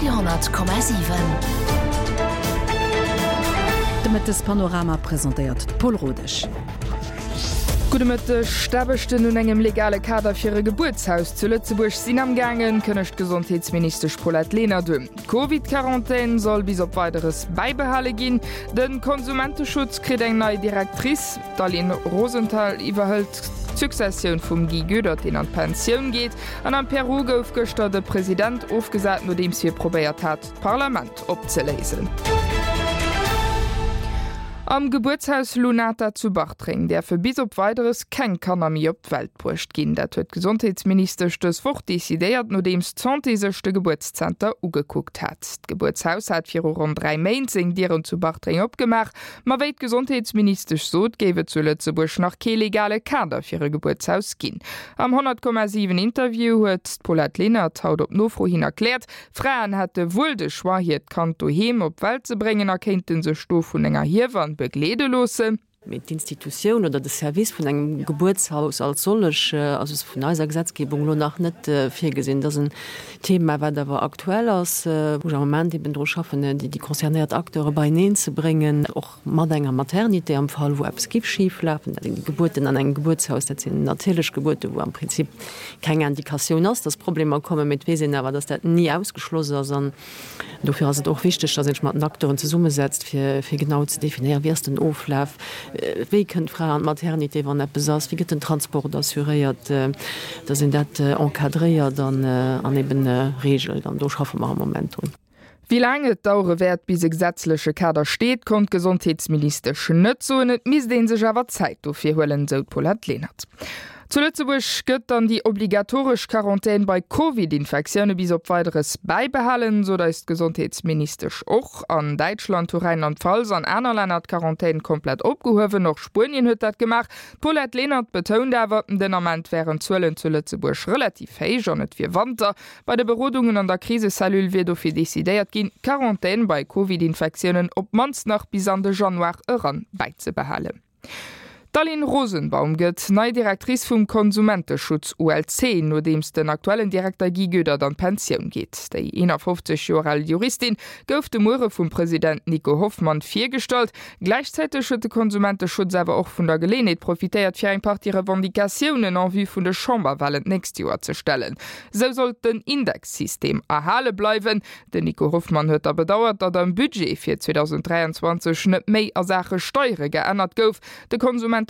Radio 10,7. De Mëttespanorama presentéiert d'Paul Rodesch. Gudde Mëtteg. D'Aarbechten un engem legale Kader fir e Gebuertshaus zu Lëtzebuerg sinn am gaangen, kënnegt d'Gesondheetsministesch Paulette Lenert un. D'Covid-Quarantän soll bis op Weideres bäibehale ginn. De Konsumenteschutz kritt eng nei Directrice. D'Aline Rosenthal iwwerhëlt d'Successioun vum Guy Goedert, deen an d'Pensioun geet. An am Peru gouf gëschter de President ofgesat, nodeems hie probéiert hat, d'Parlament opzeléisen. Am Gebuertshaus Lunata zu Bartreng däerfe bis op Weideres keng Kanner méi op d'Welt bruecht ginn. Dat huet d'Gesondheetsministesch dës Woch decidéiert, nodeems d'Santé sech de Gebuertszenter ugekuckt hat. D'Gebuertshaus hat viru ronn 3 Méint seng Dieren zu Bartreng opgemaach. Ma wéi d'Gesondheetsministesch sot, géif et zu Lëtzebuerg nach kee legale Kader fir e Gebuertshaus ginn. Am 100,7 Interview huet d'Paulette Lenert haut op Nofro hin erkläert, Fraen hätte wuel de Choix hiert Kand doheem op d'Welt ze bréngen a kéinte sech do vun enger Hiewann begleede loossen. Mee d'Institutioun oder de Service vun engem Gebuertshaus als sollech ass vun eiser Gesetzgebung elo nach net virgesinn. Dat ass en Thema, wat awer aktuell ass, wou ech am Moment eben dru schaffen, déi concernéiert Acteure beieneen ze bréngen, och mat enger Maternité am Fall, wou eppes giff schif lafen. Dat sinn déi Gebuerten an engem Gebuertshaus, dat sinn natierlech Gebuerten, wou am Prinzip keng Indikatioun ass, dass Problemer kommen. Mee et weess een awer, dass dat ni ausgeschloss ass. An dofir ass et och wichteg, dass ee sech mat den Acteuren zesummesetzt, fir genau ze definéieren, wéi ass den Oflaf, Wéi kënnt d'Fra an d'Maternité, wann eppes ass? Wéi gëtt den Transport assuréiert, dass een dat encadréiert an eben reegelt? An do schaffe mer am Moment drun. Wéi laang et dauere wäert, bis e gesetzleche Kader steet, konnt d'Gesondheetsministesch net soen. Et misst ee sech awer Zäit dofir huelen, esou d'Paulette Lenert. Zu Lëtzebuerg gëtt dann déi obligatoresch Quarantän bei Covid-Infektioune bis op Weideres bäibehalen, sot eis d'Gesondheetsministesch och. An Däitschland hu Rheinland-Pfalz an aner Länner d'Quarantän komplett opgehuewen. Och Spuenien huet dat gemaach. D'Paulette Lenert betount awer, den Ament wären d'Zuelen zu Lëtzebuerg relativ héich an et wier Wanter. Bei de Berodungen an der Krisecellule wier dofir decidéiert ginn, d'Quarantän bei Covid-Infektiounen op d'mannst nach bis an de Januar eran bäizebehalen. D'Aline Rosenbaum gëtt nei Directrice vum Konsumenteschutz, ULC, nodeems den aktuellen Direkter Guy Goedert an d'Pensioun geet. Déi 51 Joer al Juristin gouf de Muere vum President Nico Hoffmann virgestallt. Gläichzäiteg huet de Konsumenteschutz awer och vun der Geleenheet profitéiert, fir eng Partie Revendicatiounen en vue vun de Chamberwalen d'nächst Joer ze stellen. Sou sollt den Indexsystem erhale bleiwen. Den Nico Hoffmann huet da bedauert, datt am Budget fir 2023 net méi a Saache Steiere geännert gouf. De Konsumenteschutz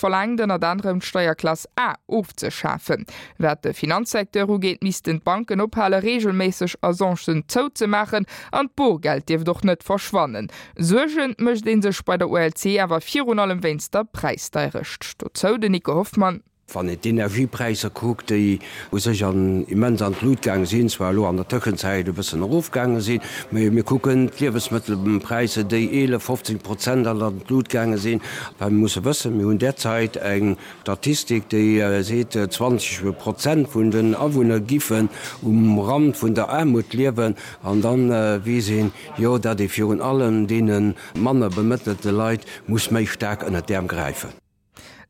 verlaangt ënnert anerem d'Steierklass A ofzeschafen. Wat de Finanzsecteur ugeet, missten d'Banken ophale reegelméisseg Agencen zouzemaachen an d'Borgeld dierft och net verschwannen. Suerge mécht ee sech bei der ULC awer virun allem wéinst der Präisdeirecht. Dozou den Nico Hoffmann. Wann een d'Energiepräisser kuckt, déi u sech an immens an d'Lut gaange sinn, zwar elo an der Tëschenzäit e bëssen erofgaange sinn, mä mir kucken d'Liewesmëttelpräisser, déi 11, 15 Prozent an d'Lut gaange sinn, well mir musse wëssen, mir hunn derzäit eng Statistik, déi seet, 20 Prozent vun den Awunner giffen um Rand vun der Aarmut liewen. An da weess een jo, datt ee virun allem deene manner bemëttelte Leit muss méi staark ënnert d'Äerm gräifen.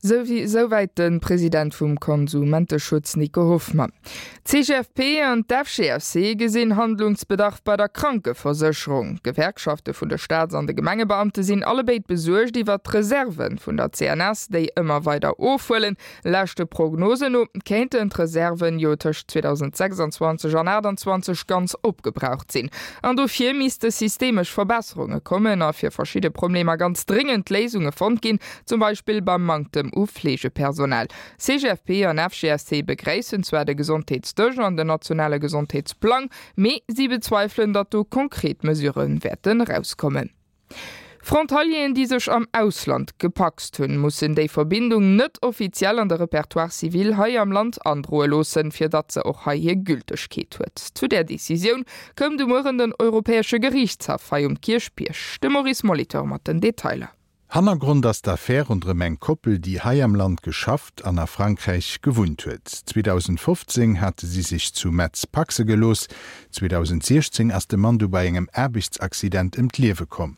Souwäit de President vum Konsumenteschutz Nico Hoffmann. D'CGFP an d'FGFC gesinn Handlungsbedarf bei der Krankeversécherung. D'Gewerkschafte vun de Staats an de Gemengebeamte sinn allebéid besuergt iwwert d'Reserve vun der CNS, déi ëmmer weider ofhuelen. Leschte Prognosen no kéinten d'Reserven jo tëscht 2026 an 28 ganz opgebraucht sinn. An dofir misste systemesch Verbesserunge kommen a fir verschidde Problemer ganz dréngend Léisunge fonnt ginn, Zum Beispill beim Manktem u Fleegepersonal. CGFP an FGSC begréissen zwar de Gesondheetsdësch an den nationale Gesondheetsplang, mee si bezweifelen, datt do konkret Mesure wäerten erauskommen. Frontalieren, déi sech am Ausland gepacst hunn, mussen déi Verbindung net offiziell an de Repertoire civil hei am Land androe loossen, fir datt se och hei hir Gültegkeet huet. Zu där Decisioun koum de Mueren den Europäesche Geriichtshaff hei um Kierchbierg. De Maurice Molitor mat den Detailer. Hannergrond ass d'Affär ronderëm eng Koppel, déi hei am Land geschafft an a Frankräich gewunnt huet. 2015 hate si sech zu Metz paxe gelooss. 2016 ass de Mann du bei engem Aarbechtsaccident ëm d'Liewe komm.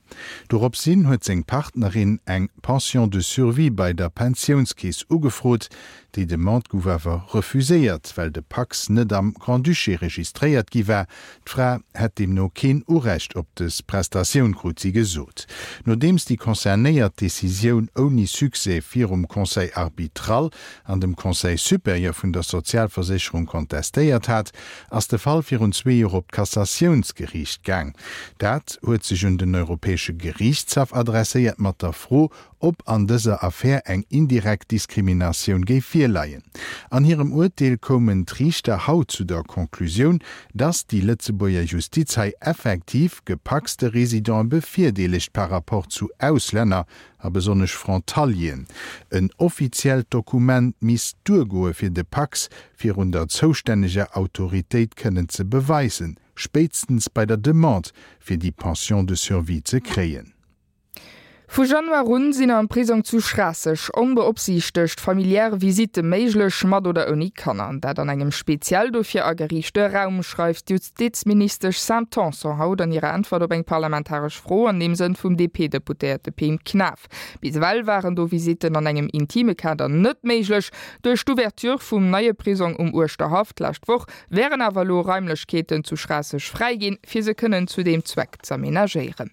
Doropshin huet seng Partnerin eng Pension de survie bei der Pensiounskeess ugefrot. Déi Demande gouf awer refuséiert, well de Pacs net am Grand-Duché registréiert gi war. D'Fra hätt deemno keen Urecht op dës Prestatioun, krut si gesot. Nodeems déi concernéiert d'Decisioun ouni Succès virum Conseil arbitral an dem Conseil supérieur vun der Sozialversécherung kontestéiert hat, ass de Fall virun zwee Joer op d'Kassatiounsgeriicht gaang. Dat huet sech un den Europäesche Geriichtshaff adresséiert mat der Fro, ob an dëser Affär eng indirekt Diskriminatioun géif virleien. An hirem Urteel koumen d'Riichter haut zu der Conclusioun, dass déi Lëtzebuerger Justiz hei effektiv gepacste Residente bevirdeelegt par rapport zu Auslänner a besonnesch Frontalieren. En offiziellt Dokument misst duergoe fir de Pacs virun der zoustänneger Autoritéit kënnen ze beweisen, spéitstens bei der Demande fir déi Pension de survie ze kréien. Vu Januar un sinn am Prisong zu Schraasseg onbeopsiichtegt familiär Visitte méiglech, mat oder ouni Kanner. Dat an engem speziell dofir ageriichte Raum, schreift d'Justizministesch Sam Tanson haut an hirer Äntwert op eng parlamentaresch Fro an deem Sënn vum DP-Deputéierte Pim Knaff. Bis ewell waren do Visitten an engem intime Kader net méiglech. Duerch d'Ouverture vum neie Prisong um Uerschterhaff d'lescht Woch wären awer elo Raimlechkeeten zu Schraasseg fräi ginn, fir se kënnen zu deem Zweck z'amenagéieren.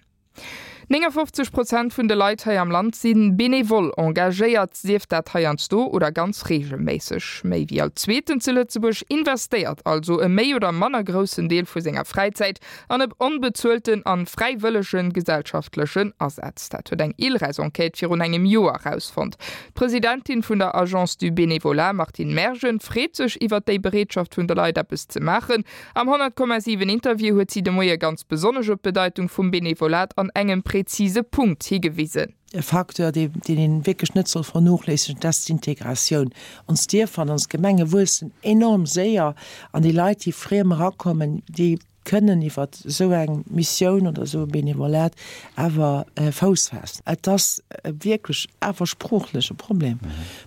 59 Prozent vun de Leit hei am Land si benevol engagéiert, sief dat heiansdo oder ganz reegelméisseg. Méi wéi all Zweeten zu Lëtzebuerg investéiert also e méi oder manner groussen Deel vu senger Fräizäit an e onbezuelten an fräiwëllege gesellschaftlechen Asaz. Dat huet eng ILReS-Enquête virun engem Joer erausfonnt. D'Presidentin vun der Agence du Bénévolat, Martine Mergen, freet sech iwwer déi Bereetschaft vun de Leit eppes ze maachen. Am 100,7 Interview huet si de Moie ganz besonnesch op d'Bedeitung vum Benevolat an engem präzise Punkt higewisen. E Facteur, deen een wierklech net soll vernochléissegen, dat ass d'Integratioun. Ons Dierfer an ons Gemenge wuessen enorm séier an déi Leit, déi friem erakommen, déi kënnen iwwer esou eng Missioun oder esou e Benevolat awer Fouss faassen. Et ass wierklech awer sproochlech e Problem.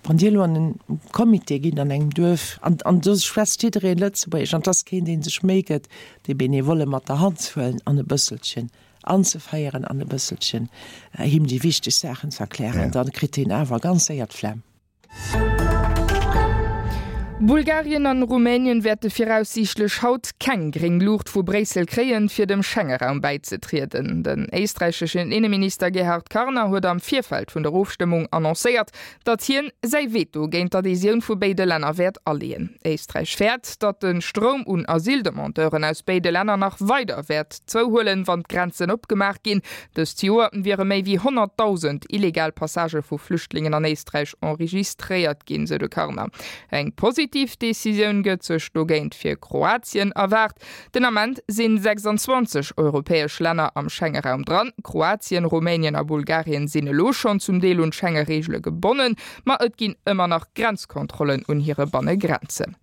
Wann Dir elo an en Comité gitt an engem Duerf an an do schwätzt jiddereen Lëtzebuergesch an et ass keen, dee sech Méi gëtt, dee Benevole mat der Hand ze huelen an e bësselchen anzeféieren an e bësselchen him déi wichteg Saachen ze erklären, da kritt deen awer ganz séier d'Flemm. Bulgarien an Rumänien wäerte viraussiichtlech haut keng gréng Luucht vu Bréissel kréien, fir dem Schengeraum bäizetrieden. Den éisträicheschen Inneminister Gerhard Karner huet am Virfeld vun der Ofstëmmung annoncéiert, datt hien säi Veto géint d'Adhesioun vu béide Länner wäert aleeën. Éisträich fäert, datt de Stroum un Asyldemandeuren aus béide Länner nach weider wäert zouhuelen, wann d'Grenzen opgemaach ginn. Dëst Joer wiere méi wéi 100.000 illegal Passagë vu Flüchtlingen an Éisträich enregistréiert ginn, sou de Karner. Eng positiv Decisioun gëtt sech dogéint fir Kroatien erwaart. Den Ament sinn 26 europäesch Länner am Schengeraum dran. Kroatien, Rumänien a Bulgarien sinn elo schonn zum Deel un d'Schenge-Reegele gebonnen, ma et ginn ëmmer nach Grenzkontrollen un hire Bannegrenzen.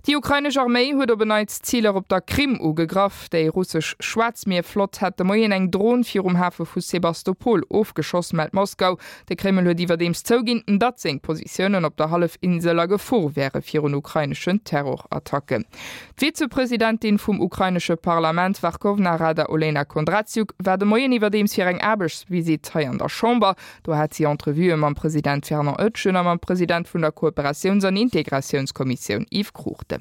Déi ukrainesch Arméi huet op en Neits Ziler op der Krim ugegraff. Déi russesch Schwaarzmierflott hätt de Moien eng Dron virum Hafe vu Sebastopol ofgeschoss, mellt Moskau. De Kreml huet iwwerdeems zouginn, datt seng Positiounen op der Hallefinsel a Gefor wäre virun ukraineschen Terrorattacken. D'Vizepresidentin vum ukrainesche Parlament Werchowna Rada Olena Kondratiuk war de Moien iwwerdeems fir eng Aarbechtsvisitt hei an der Chamber. Do hat si Entrevuë mam President Fernand Oetjen a mam President vun der Kooperatiouns an Integratiounskommissioun Yves Cruchten.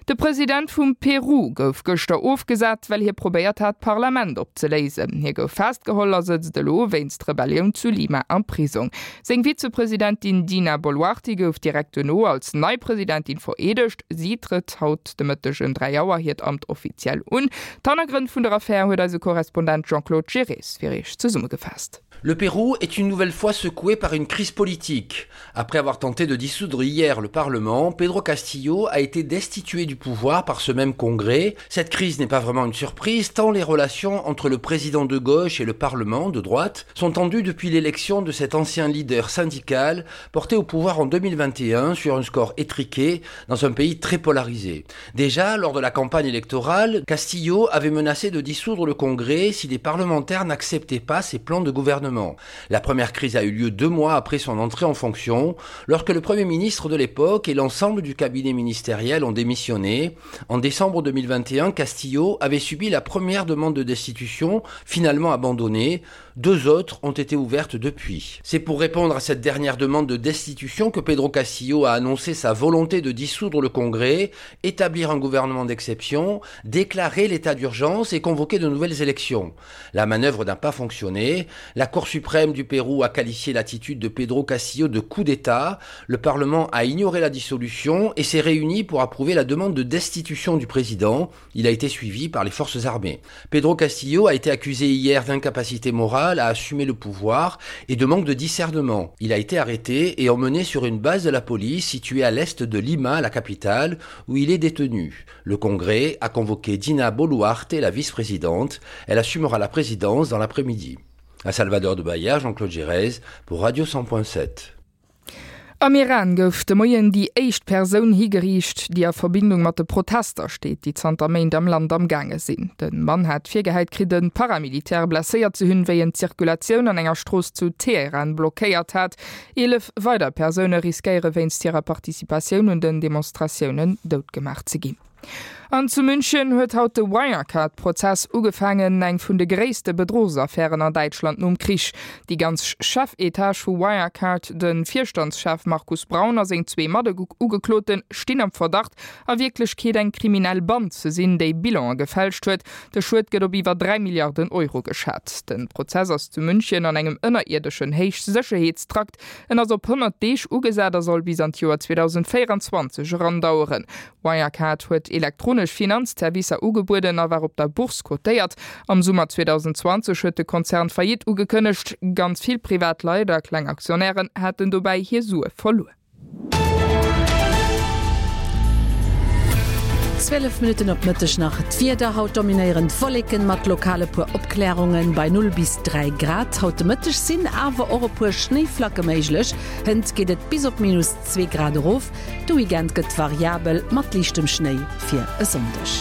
De President vum Peru gouf gëschter ofgesat, well hie probéiert hat, d'Parlament opzeléisen. Hie gouf festgeholl a sëtzt elo wéinst Rebellioun zu Lima am Prisong. Seng Vizepresidentin Dina Boluarte gouf direkt duerno als nei Presidentin vereedegt. Si trëtt haut de Mëtteg ëm 3 Auer hiert Amt offiziell un. D'Hannergrënn vun der Affär huet eise Korrespondent Jean-Claude Girres fir Iech zesummegefaasst. Le Pérou est une nouvelle fois secoué par une crise politique. Après avoir tenté de dissoudre hier le Parlement, Pedro Castillo a été destitué du pouvoir par ce même congrès. Cette crise n'est pas vraiment une surprise tant les relations entre le président de gauche et le Parlement de droite sont tendues depuis l'élection de cet ancien leader syndical porté au pouvoir en 2021 sur un score étriqué dans un pays très polarisé. Déjà, lors de la campagne électorale, Castillo avait menacé de dissoudre le Congrès si les parlementaires n'acceptaient pas ses plans de gouvernement. gouvernement. La première crise a eu lieu deux mois après son entrée en fonction, lorsque le premier ministre de l'époque et l'ensemble du cabinet ministériel ont démissionné. En décembre 2021, Castillo avait subi la première demande de destitution, finalement abandonnée. Deux autres ont été ouvertes depuis. C'est pour répondre à cette dernière demande de destitution que Pedro Castillo a annoncé sa volonté de dissoudre le Congrès, établir un gouvernement d'exception, déclarer l'état d'urgence et convoquer de nouvelles élections. La manœuvre n'a pas fonctionné. La Cour suprême du Pérou a qualifié l'attitude de Pedro Castillo de coup d'État. Le Parlement a ignoré la dissolution et s'est réuni pour approuver la demande de destitution du président. Il a été suivi par les forces armées. Pedro Castillo a été accusé hier d'incapacité morale à assumer le pouvoir et de manque de discernement. Il a été arrêté et emmené sur une base de la police située à l'est de Lima, la capitale, où il est détenu. Le Congrès a convoqué Dina Boluarte, la vice-présidente. Elle assumera la présidence dans l'après-midi. À Salvador de Bahia, Jean-Claude Gérez pour Radio 100.7. Am Iran gouf de Moien déi éischt Persoun higeriicht, déi a Verbindung mat de Protester steet, déi zanter Méint am Land am gaange sinn. De Mann hat virgehäit kritt, e Paramilitaire blesséiert ze hunn, wéi en d'Zirkulatioun an enger Strooss zu Teheran blockéiert hat. 11 weider Persoune riskéiere wéinst hirer Participatioun un den Demonstratiounen doutgemaach ze ginn. An zu München huet haut de Wirecard-Prozess ugefaangen, eng vun de gréisste Bedruchsaffären an Däitschland nom Krich. Déi ganz Chefetage vu Wirecard, de Virstandschef Markus Braun a seng zwee Matugeklote stinn am Verdacht, a Wierklechkeet eng kriminell Band ze sinn, déi Bilanë gefälscht huet. De Schued gëtt op iwwer 3 Milliarden Euro geschat. De Prozess ass zu München an engem ënnerierdeschen Héichsécherheetstrakt. En ass op 100 Deeg ugesat a soll bis an d'Joer 2024 erandaueren. Wirecard huet elektronesch Finanzservicer ugebueden a war op der Bourse kotéiert. Am Summer 2020 huet de Konzern Faillite ugekënnegt. Ganz vill privat Leit a kleng Aktionären haten dobäi hir Sue verluer. 12 Minutten op Mëtteg nach d'Wieder, Haut dominéieren d'Wolleken mat lokal e puer Opklärungen bei 0 bis 3 Grad. Haut de Mëtteg sinn awer och e puer Schnéiflacke méiglech, hënt geet et bis op minus 2 Grad erof. De Weekend gëtt variabel mat liichtem Schnéi fir e Sonndeg.